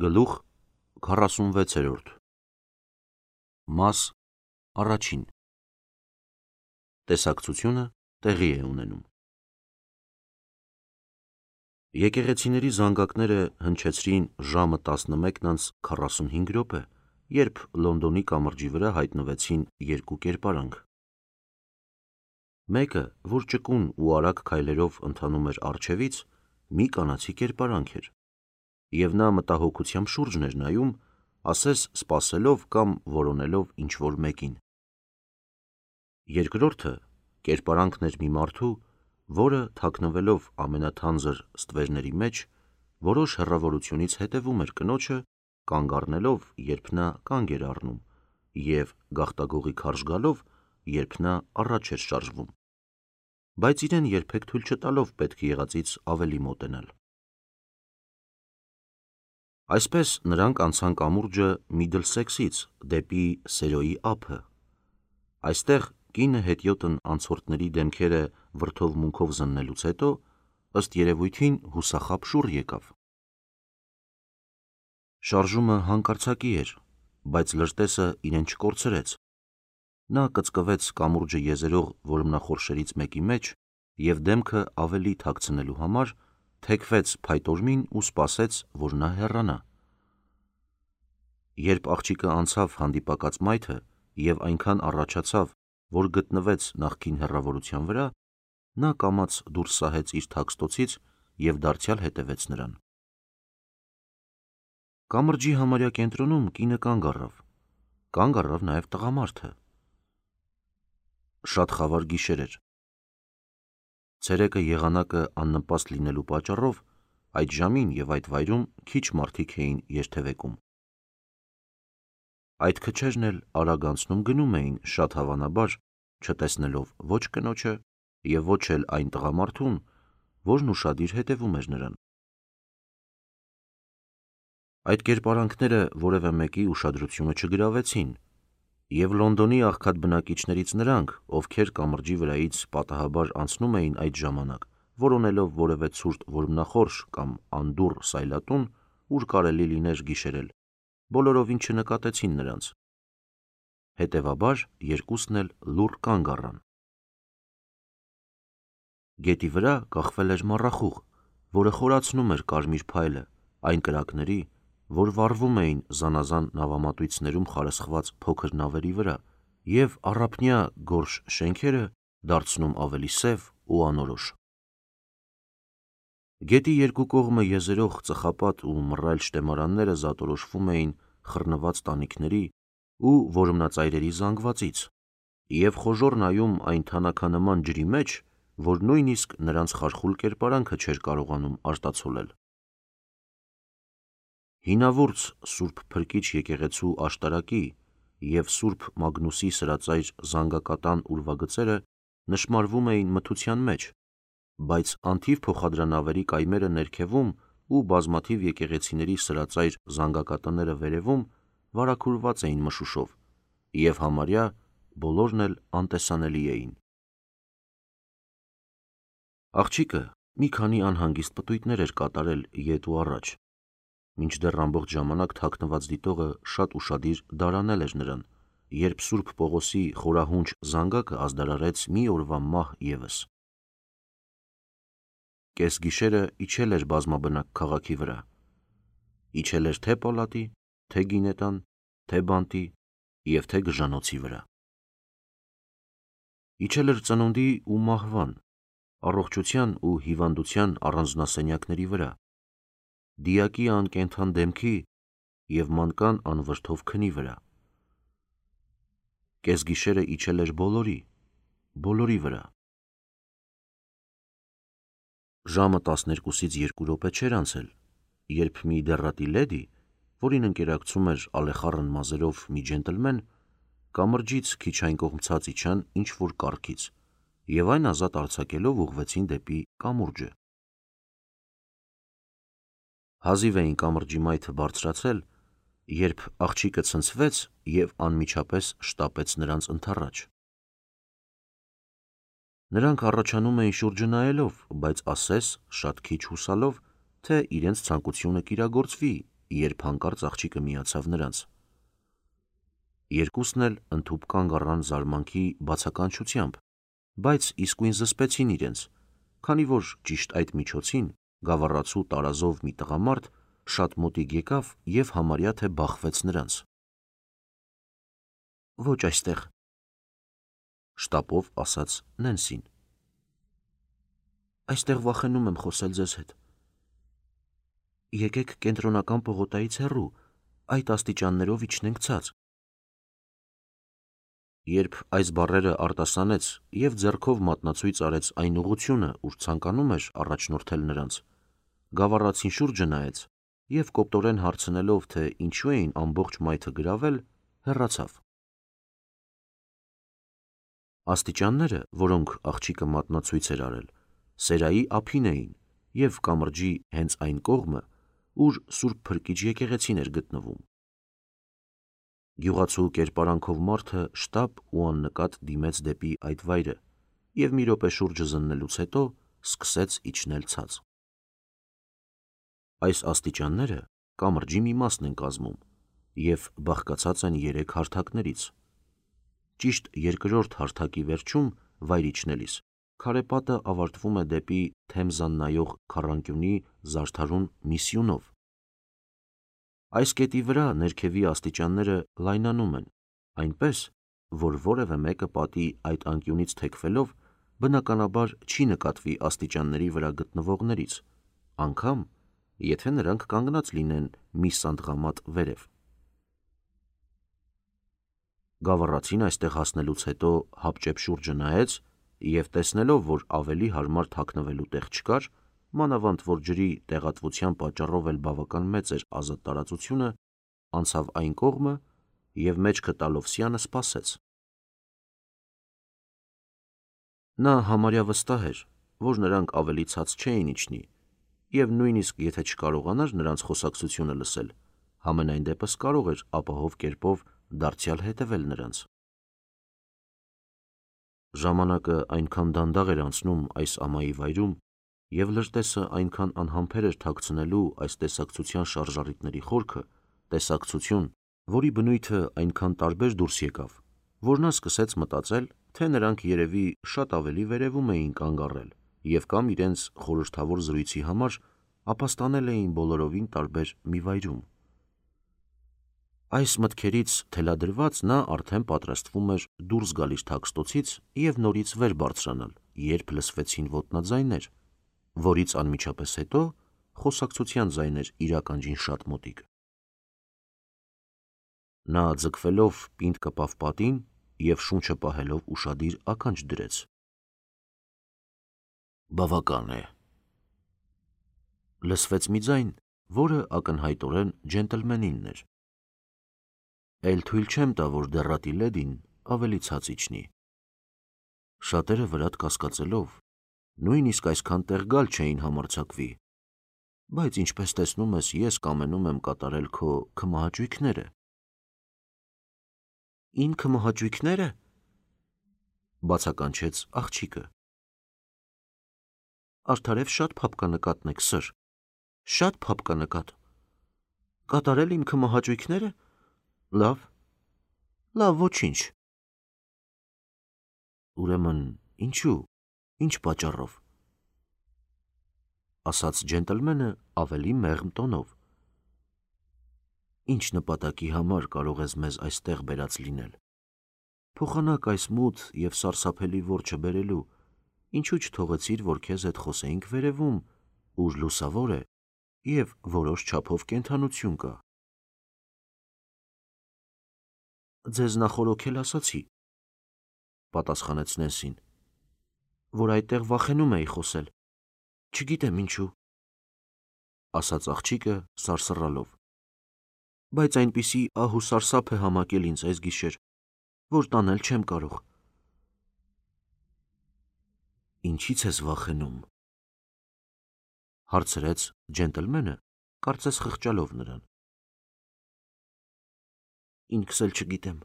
Գլուխ 46 Մաս առաջին Տեսակցությունը տեղի է ունենում։ Եկեղեցիների զանգակները հնչեցրին ժամը 11:45, երբ Լոնդոնի կամրջի վրա հայտնվեցին երկու կերպարանք։ Մեկը, որ ճկուն ու արագ քայլերով ընթանում էր առջևից, մի կանացի կերպարանք էր, և նա մտահոգությամբ շուրջն էր նայում, ասես սպասելով կամ որոնելով ինչ-որ մեկին։ Երկրորդը կերպարանքն էր մի մարդու, որը, թաքնվելով ամենաթանձր ստվերների մեջ, որոշ հեռավորությունից հետևում էր կնոջը, կանգ առնելով, երբ նա կանգ էր առնում, և գաղտագողի քարշ գալով, երբ նա առաջ էր շարժվում, բայց իրեն երբեք թույլ չտալով պետք եղածից ավելի մոտենալ։ Այսպես նրանք անցան կամուրջը Միդլսեքսից դեպի Սերոյի ափը։ Այստեղ կինը հետիոտն անցորդների դեմքերը վրդովմունքով զննելուց հետո, ըստ երևույթին, հուսախաբ շուռ եկավ։ Շարժումը հանկարծակի էր, բայց լրտեսը իրեն չկորցրեց։ Նա կծկվեց կամուրջը եզերող որմնախորշերից մեկի մեջ և դեմքը ավելի թաքցնելու համար թեքվեց փայտոժմին ու սպասեց, որ նա հեռանա։ Երբ աղջիկը անցավ հանդիպակաց մայթը և այնքան առաջացավ, որ գտնվեց նախկին հեռավորության վրա, նա կամաց դուրս սահեց իր թաքստոցից և դարձյալ հետևեց նրան։ Կամրջի համարյա կենտրոնում կինը կանգ առավ նաև տղամարդը։ Շատ խավար գիշեր էր։ Ցերեկը եղանակը աննպաստ լինելու պատճառով այդ ժամին և այդ վայրում քիչ մարդիկ էին երթևեկում։ Այդ քչերն էլ արագ անցնում գնում էին, շատ հավանաբար չտեսնելով ոչ կնոջը և ոչ էլ այն տղամարդուն, որն ուշադիր հետևում էր նրան։ Այդ կերպարանքները որևէ մեկի ուշադրությունը չգրավեցին, և Լոնդոնի աղքատ բնակիչներից նրանք, ովքեր կամրջի վրայից պատահաբար անցնում էին այդ ժամանակ, որոնելով որևէ ցուրտ որմնախորշ կամ անդուռ սայլատուն, ուր կարելի լիներ գիշերել, բոլորովին չնկատեցին նրանց։ Հետևաբար երկուսն էլ լուռ կանգ առան։ Գետի վրա կախվել էր մառախուղ, որը խորացնում էր կարմիր փայլը այն կրակների, որ վառվում էին զանազան նավամատույցներում խարսխված փոքր նավերի վրա և առափնյա գորշ շենքերը դարձնում ավելի սև ու անորոշ։ Գետի երկու կողմը եզերող ծխապատ ու մռայլ շտեմարանները զատորոշվում էին խռնված տանիքների ու որմնածայրերի զանգվածից և խոժոռ նայում այն թանաքանման ջրի մեջ, որ նույնիսկ նրանց խարխուլ կերպարանքը չէր կարողանում արտացոլել։ Հինավուրց Սուրբ Փրկիչ եկեղեցու աշտարակի և Սուրբ Մագնուսի սրածայր զանգակատան ուրվագծերը նշմարվում էին մթության մեջ, բայց անթիվ փոխադրանավերի կայմերը ներքևում ու բազմաթիվ եկեղեցիների սրածայր զանգակատները վերևում վարագուրված էին մշուշով և համարյա բոլորն էլ անտեսանելի էին։ Աղջիկը մի քանի անհանգիստ պտույտներ էր կատարել ետ ու առաջ, մինչդեռ ամբողջ ժամանակ թաքնված դիտողը շատ ուշադիր դարանել էր նրան, երբ Սուրբ Պողոսի խորահունչ զանգակը ազդարարեց մի օրվա մահ ևս։ Կեսգիշերը իջել էր բազմաբնակ քաղաքի վրա, իջել էր թե պալատի, թե գինետան, թե բանտի և թե գժանոցի վրա։ Իջել էր ծնունդի ու մահվան, առողջության ու հիվանդության առանձնասենյակների վրա, դիակի անկենդան դեմքի և մանկան անվրդով քնի վրա։ Կեսգիշերը իջել էր բոլորի վրա։ Ժամը 12-ից 2 րոպե չէր անցել, երբ մի դեռատի լեդի, որին ընկերակցում էր ալեխառն մազերով մի ջենտլմեն, կամրջից քիչ այն կողմ ցած իջան ինչ-որ կառքից և այն ազատ արձակելով ուղղվեցին դեպի կամուրջը։ Հազիվ էին կամրջի մայթը բարձրացել, երբ աղջիկը ցնցվեց և անմիջապես շտապեց նրանց ընդառաջ։ Նրանք առաջանում էին շուրջը նայելով, բայց ասես շատ քիչ հուսալով, թե իրենց ցանկությունը կիրագործվի երբ հանկարծ աղջիկը միացավ նրանց։ Երկուսն էլ ընդհուպ կանգ առան զարմանքի բացականչությամբ, բայց իսկույն զսպեցին իրենց, քանի որ ճիշտ այդ միջոցին գավառացու տարազով մի տղամարդ շատ մոտիկ եկավ և համարյա թե բախվեց նրանց։ «Ոչ այստեղ», շտապով ասաց Նենսին։ «Այստեղ վախենում եմ խոսել ձեզ հետ։ Եկեք կենտրոնական պողոտայից հեռու, այդ աստիճաններով իջնենք ցած»։ Երբ այս բառերը արտասանեց և ձեռքով մատնացույց արեց այն ուղղությունը, ուր ցանկանում էր առաջնորդել նրանց, գավառացին շուրջը նայեց և կոպտորեն հարցնելով, թե ինչու էին ամբողջ մայթը գրավել, հեռացավ։ Աստիճանները, որոնք աղջիկը մատնացույց էր արել, Սերայի ափին էին և կամրջի հենց այն կողմը, ուր Սուրբ Փրկիչ եկեղեցին էր գտնվում։ Գյուղացու կերպարանքով մարդը շտապ ու աննկատ դիմեց դեպի այդ վայրը և մի րոպե շուրջը զննելուց հետո սկսեց իջնել ցած։ Այս աստիճանները կամրջի մի մասն են կազմում և բաղկացած են 3 հարթակներից։ Ճիշտ երկրորդ հարթակի վերջում վայր իջնելիս քարե պատը ավարտվում է դեպի Թեմզան նայող քառանկյունի զարդարուն մի սյունով։ Այս կետի վրա ներքևի աստիճանները լայնանում են, այնպես, որ որևէ մեկը պատի այդ անկյունից թեքվելով բնականաբար չի նկատվի աստիճանների վրա գտնվողներից, անգամ եթե նրանք կանգնած լինեն մի սանդղամատ վերև։ Գավառացին այստեղ հասնելուց հետո հապճեպ շուրջը նայեց և տեսնելով, որ ավելի հարմար թաքնվելու տեղ չկար, մանավանդ որ ջրի տեղատվության պատճառով էլ բավական մեծ էր ազատ տարածությունը, անցավ այն կողմը և մեջքը տալով սյանը սպասեց։ Նա համարյա վստահ էր, որ նրանք ավելի ցած չէին իջնի և նույնիսկ եթե չկարողանար նրանց խոսակցությունը լսել, համենայն դեպս կարող էր ապահով կերպով դարձյալ հետևել նրանց։ Ժամանակը այնքան դանդաղ էր անցնում այս ամայի վայրում և լրտեսը այնքան անհամբեր էր թաքցնելու այս տեսակցության շարժառիթների խորքը, տեսակցություն, որի բնույթը այնքան տարբեր դուրս եկավ, որ նա սկսեց մտածել, թե նրանք երևի շատ ավելի վերևում էին կանգ առել և կամ իրենց խորհրդավոր զրույցի համար ապաստանել էին բոլորովին տարբեր մի վայրում։ Այս մտքերից թելադրված նա արդեն պատրաստվում էր դուրս գալ իր թաքստոցից և նորից վեր բարձրանալ, երբ լսվեցին ոտնաձայներ, որից անմիջապես հետո խոսակցության ձայներ իր ականջին շատ մոտիկ։ Նա ձգվելով պինդ կպավ պատին և շունչը պահելով ուշադիր ականջ դրեց։ «Բավական է», լսվեց մի ձայն, որը ակնհայտորեն ջենտլմենինն էր։ «Էլ թույլ չեմ տա, որ դեռատի լեդին ավելի ցած իջնի։ Շատերը վրատ կասկածելով նույնիսկ այսքան տեղ գալ չէին համարձակվի, բայց ինչպես տեսնում ես, ես կամենում եմ կատարել քո քմահաճույքները»։ «Իմ քմահաճույքնե՞րը», բացականչեց աղջիկը։ «Արդարև շատ փափկանկատն եք, սըր, շատ փափկանկատ։ Կատարել իմ քմահաճույքները։ Լավ, ոչինչ»։ «Ուրեմն ինչու, ինչ պատճառով», ասաց ջենտլմենը ավելի մեղմ տոնով։ «Ինչ նպատակի համար կարող ես մեզ այստեղ բերած լինել։ Փոխանակ այս մութ և սարսափելի որջը բերելու, ինչու չթողեցիր, որ քեզ հետ խոսեինք վերևում, ուր լուսավոր է և որոշ չափով կենդանություն կա»։ «Ձեզ նախօրոքել ասացի», պատասխանեց Նենսին, «որ այդտեղ վախենում էի խոսել, չգիտեմ ինչու», ասաց աղջիկը սարսռալով, «բայց այնպիսի ահ ու սարսափ է համակել ինձ այսգիշեր, որ տանել չեմ կարող»։ «Ինչի՞ց ես վախենում», հարցրեց ջենտլմենը, կարծես խղճալով նրան։ «Ինքս էլ չգիտեմ»,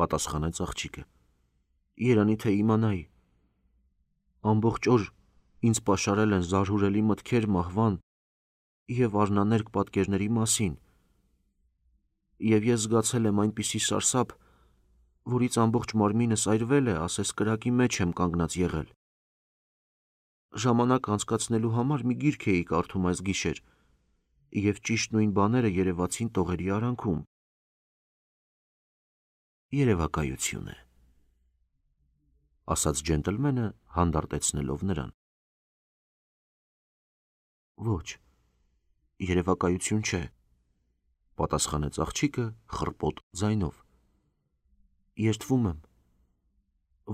պատասխանեց աղջիկը։ «Երանի թե իմանայի։ Ամբողջ օր ինձ պաշարել են զարհուրելի մտքեր մահվան և արնաներկ պատկերների մասին, և ես զգացել եմ այնպիսի սարսափ, որից ամբողջ մարմինս այրվել է, ասես կրակի մեջ եմ կանգնած եղել։ Ժամանակ անցկացնելու համար մի գիրք էի կարդում այս գիշեր, և ճիշտ նույն բաները երևացին տողերի արանքում։ Երևակայություն է, ասաց ջենտլմենը հանդարտեցնելով նրան։ Ոչ, երևակայություն չէ, պատասխանեց աղջիկը խռպոտ ձայնով։ Երդվում եմ,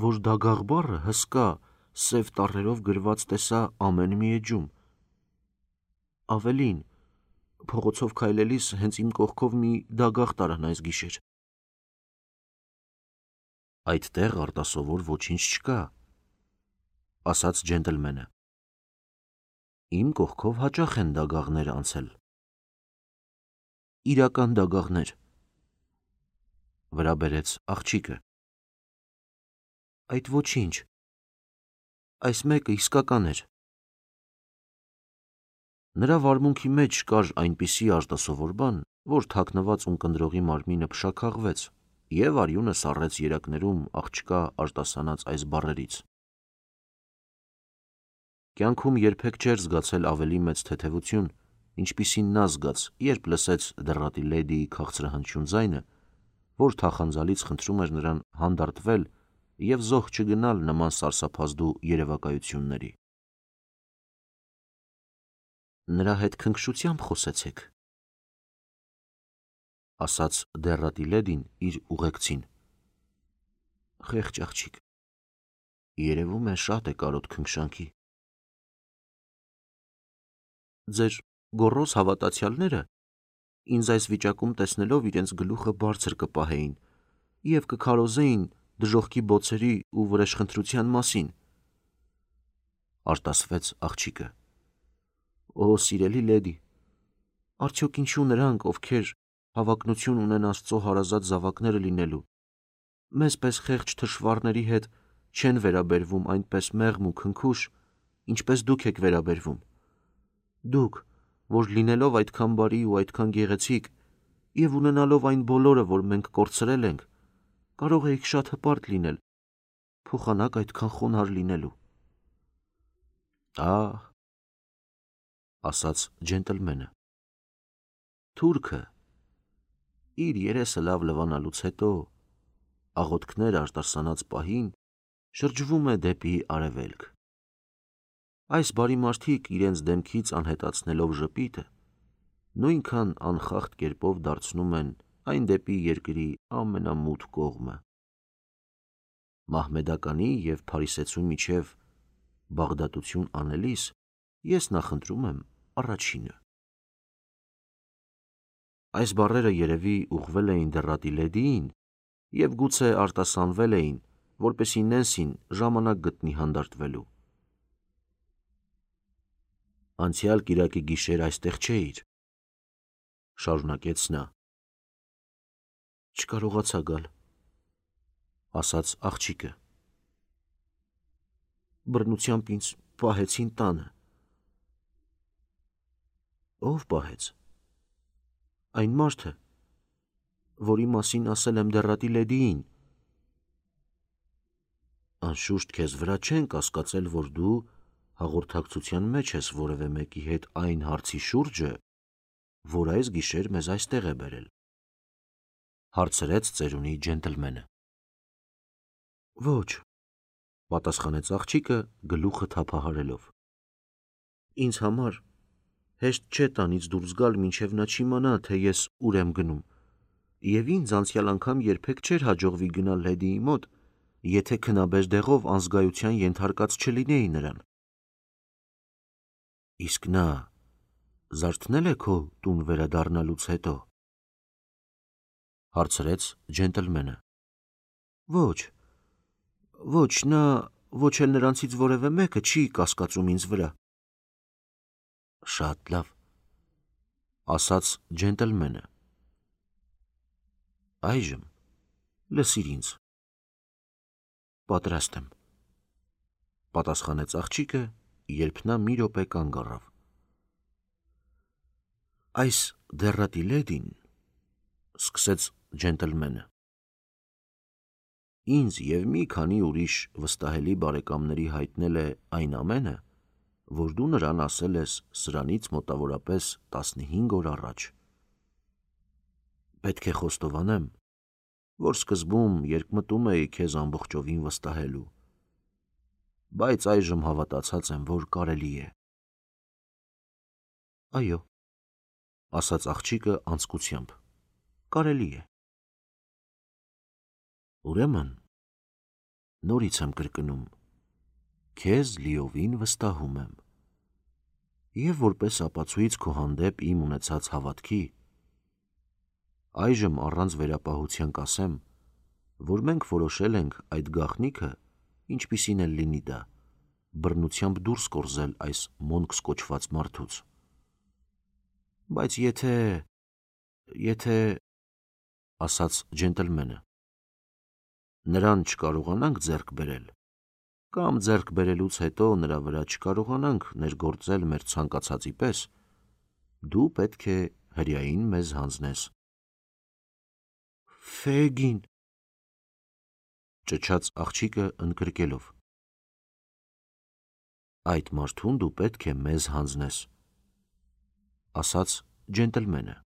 որ դագաղ բառը հսկա, սև տառերով գրված տեսա ամեն մի էջում։ Ավելին, փողոցով քայլելիս հենց իմ կողքով մի դագաղ տարան այս գիշեր։ Այդտեղ արտասովոր ոչինչ չկա, ասաց ջենտլմենը։ Իմ կողքով հաճախ են դագաղներ անցել։ Իրական դագաղներ, վրա բերեց աղջիկը։ Այդ ոչինչ, այս մեկը իսկական էր։ Նրա վարմունքի մեջ կար այնպիսի արտասովոր բան, որ թաքնված ունկնդրողի մարմինը փշաքաղվեց, և արյունը սառեց երակներում աղջկա արտասանած այս բառերից։ Կյանքում երբեք չէր զգացել ավելի մեծ թեթևություն, ինչպիսին նա զգաց, երբ լսեց դեռատի լեդիի քաղցրահնչյուն ձայնը, որ թախանձալից խնդրում էր նրան հանդարտվել և զոհ չգնալ նման սարսափազդու երևակայությունների։ Նրա հետ քնքշությամբ խոսեցեք, ասաց դեռատի լեդին իր ուղեկցին։ Խեղճ աղջիկ, երևում է շատ է կարոտ քնքշանքի։ Ձեր գոռոզ հավատացյալները ինձ այս վիճակում տեսնելով իրենց գլուխը բարձր կպահեին և կքարոզեին դժոխքի բոցերի ու վրեժխնդրության մասին, արտասվեց աղջիկը։ Օ, սիրելի լեդի, արդյոք ինչու նրանք, ովքեր հավակնություն ունեն Աստծո հարազատ զավակները լինելու, մեզ պես խեղճ թշվառների հետ չեն վերաբերվում այնպես մեղմ ու քնքուշ, ինչպես դուք եք վերաբերվում։ Դուք, որ լինելով այդքան բարի ու այդքան գեղեցիկ և ունենալով այն բոլորը, որ մենք կորցրել ենք, կարող էիք շատ հպարտ լինել, փոխանակ այդքան խոնարհ լինելու։ Ահ, ասաց ջենտլմենը։ Թուրքը իր երեսը լավ լվանալուց հետո, աղոթքներ արտասանած պահին, շրջվում է դեպի արևելք։ Այս բարի մարդիկ իրենց դեմքից անհետացնելով ժպիտը, նույնքան անխախտ կերպով դարձնում են այն դեպի երկրի ամենամութ կողմը։ Մահմեդականի և փարիսեցու միջև բաղդատություն անելիս ես նախընտրում եմ առաջինը։ Այս բառերը երևի ուղղվել էին դեռատի լեդիին և գուցե արտասանվել էին, որպեսզի Նենսին ժամանակ գտնի հանդարտվելու։ Անցյալ կիրակի գիշեր այստեղ չէիր, շարունակեց նա։ Չկարողացա գալ, ասաց աղջիկը։ Բռնությամբ ինձ պահեցին տանը։ Ո՞վ պահեց։ Այն մարդը, որի մասին ասել եմ դեռատի լեդիին։ Անշուշտ քեզ վրա չեն կասկածել, որ դու հաղորդակցության մեջ ես որևէ մեկի հետ այն հարցի շուրջը, որ այս գիշեր մեզ այստեղ է բերել, հարցրեց ծերունի ջենտլմենը։ Ոչ, պատասխանեց աղջիկը գլուխը թափահարելով։ Ինձ համար հեշտ չէ տանից դուրս գալ, մինչև նա չիմանա, թե ես ուր եմ գնում, և ինձ անցյալ անգամ երբեք չէր հաջողվի գնալ լեդիի մոտ, եթե քնաբեր դեղով անզգայության ենթարկած չլինեի նրան։ Իսկ նա զարթնե՞լ է քո տուն վերադառնալուց հետո, հարցրեց ջենտլմենը։ Ոչ, ոչ, նա ոչ էլ նրանցից որևէ մեկը չի կասկածում ինձ վրա։ Շատ լավ, ասաց ջենտլմենը։ Այժմ լսիր ինձ։ Պատրաստ եմ, պատասխանեց աղջիկը, երբ նա մի րոպե կանգ առավ։ Այս դեռատի լեդին, սկսեց ջենտլմենը, ինձ և մի քանի ուրիշ վստահելի բարեկամների հայտնել է այն ամենը, որ դու նրան ասել ես սրանից մոտավորապես 15 օր առաջ։ Պետք է խոստովանեմ, որ սկզբում երկմտում էի քեզ ամբողջովին վստահելու, բայց այժմ հավատացած եմ, որ կարելի է։ Այո, ասաց աղջիկը անձկությամբ, կարելի է։ Ուրեմն, նորից եմ կրկնում, քեզ լիովին վստահում եմ, և որպես ապացույց քո հանդեպ իմ ունեցած հավատքի, այժմ առանց վերապահության կասեմ, որ մենք որոշել ենք այդ գաղտնիքը, ինչպիսին էլ լինի դա, բռնությամբ դուրս կորզել այս Մոնքս կոչված մարդուց։ Բայց եթե, ասաց ջենտլմենը, նրան չկարողանանք ձեռք բերել, կամ ձեռք բերելուց հետո նրա վրա չկարողանանք ներգործել մեր ցանկացածի պես, դու պետք է հրեային մեզ հանձնես։ Ֆեգին, ճչաց աղջիկը ընկրկելով, այդ մարդուն դու պետք է մեզ հանձնես, ասաց ջենտլմենը։